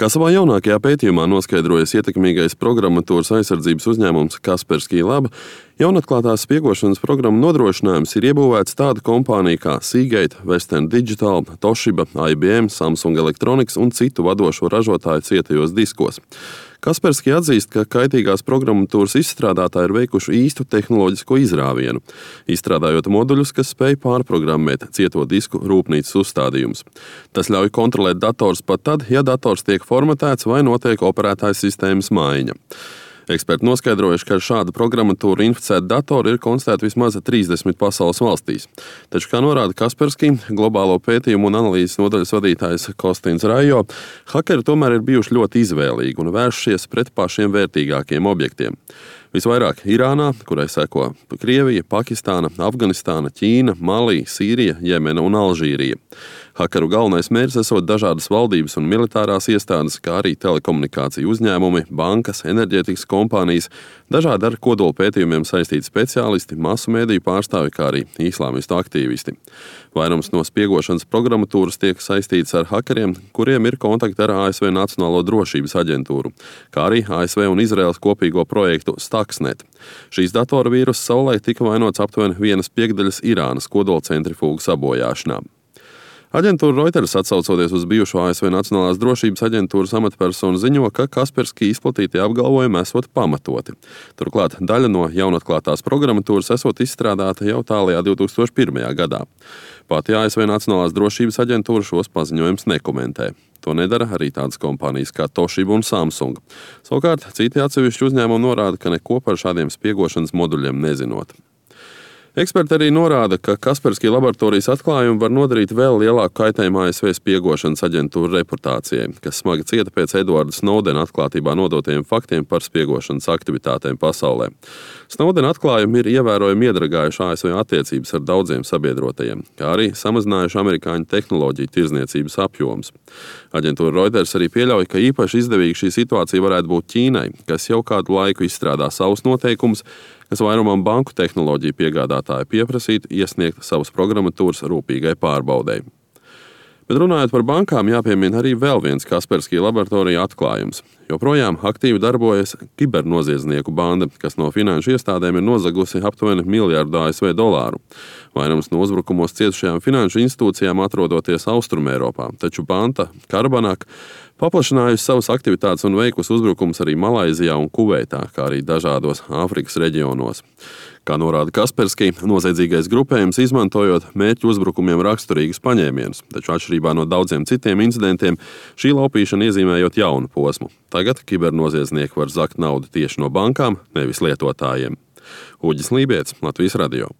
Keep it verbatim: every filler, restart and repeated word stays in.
Kā savā jaunākajā pētījumā noskaidrojas ietekmīgais programmatūras aizsardzības uzņēmums Kaspersky Lab, jaunatklātās spiegošanas programmu nodrošinājums ir iebūvēts tāda kompānija kā Seagate, Western Digital, Toshiba, I B M, Samsung Electronics un citu vadošo ražotāju cietajos diskos. Kaspersky atzīst, ka kaitīgās programmatūras izstrādātāji ir veikuši īstu tehnoloģisko izrāvienu, izstrādājot moduļus, kas spēj pārprogrammēt cieto disku rūpnīcas uzstādījumus. Tas ļauj kontrolēt dators pat tad, ja dators tiek formatēts vai notiek operētājas sistēmas maiņa. Eksperti noskaidrojuši, ka ar šādu programmatūru inficēti datori ir konstatēti vismaz trīsdesmit pasaules valstīs. Taču, kā norāda Kaspersky, globālo pētījumu un analīzes nodaļas vadītājs Kostins Rajo, hakeri tomēr ir bijuši ļoti izvēlīgi un vēršies pret pašiem vērtīgākiem objektiem. Visvairāk Irānā, kurai seko Krievija, Pakistāna, Afganistāna, Ķīna, Malī, Sīrija, Jemena un Alžīrija. Hakeru galvenais mērķis esot dažādas valdības un militārās iestādes, kā arī telekomunikāciju uzņēmumi, bankas, enerģētikas kompānijas, dažādi ar kodola pētījumiem saistīti speciālisti, masu mēdīju pārstāvi, kā arī islāmistu aktīvisti. Vairums no spiegošanas programmatūras tiek saistīts ar hakeriem, kuriem ir kontakti ar A S V Nacionālo drošības aģentūru, kā arī A S V un Izraēlas kopīgo projektu Stuxnet. Šīs datora vīrusa savulaik tika vainots aptuveni vienas piekdaļas Irānas kodola centrifūgu sabojāšanā. Aģentūra Reuters, atsaucoties uz bijušo A S V Nacionālās drošības aģentūras amatpersonu, ziņo, ka Kaspersky izplatītie apgalvojumi esot pamatoti. Turklāt daļa no jaunatklātās programmatūras esot izstrādāta jau tālajā divtūkstoš pirmajā gadā. Pati A S V Nacionālās drošības aģentūra šos paziņojumus nekomentē. To nedara arī tādas kompānijas kā Toshiba un Samsung. Savukārt, citi atsevišķi uzņēmumi norāda, ka neko par šādiem spiegošanas moduļiem nezinot. Eksperti arī norāda, ka Kaspersky laboratorijas atklājumi var nodarīt vēl lielāku kaitējumu A S V spiegošanas aģentūra reputācijai, kas smagi cieta pēc Edvarda Snowdena atklātībā nodotajiem faktiem par spiegošanas aktivitātēm pasaulē. Snowdena atklājumi ir ievērojami iedragājuši A S V attiecības ar daudziem sabiedrotajiem, kā arī samazinājuši amerikāņu tehnoloģiju tirdzniecības apjomus. Aģentūra Reuters arī pieļauj, ka īpaši izdevīga šī situācija varētu būt Ķīnai, kas jau kādu laiku izstrādā savus noteikumus, kas vairumam banku tehnoloģiju piegādātāju pieprasītu iesniegt savas programmatūras rūpīgai pārbaudei. Bet runājot par bankām, jāpiemina arī vēl viens Kaspersky laboratorija atklājums. Joprojām aktīvi darbojas kibernoziedznieku banda, kas no finanšu iestādēm ir nozagusi aptuveni miljardu A S V dolāru. Vairums no uzbrukumos cietušajām finanšu institūcijām atrodoties Austrumēropā, taču banda Karbanak paplašinājusi savas aktivitātes un veikusi uzbrukums arī Malaizijā un Kuveitā, kā arī dažādos Āfrikas reģionos. Kā norāda Kaspersky, noziedzīgais grupējums izmantojot mērķu uzbrukumiem raksturīgus paņēmienus, taču atšķirībā no daudziem citiem incidentiem, šī laupīšana iezīmējot jaunu posmu. Tagad kibernoziedznieki var zakt naudu tieši no bankām, nevis lietotājiem. Uģis Lībietis, Latvijas radio.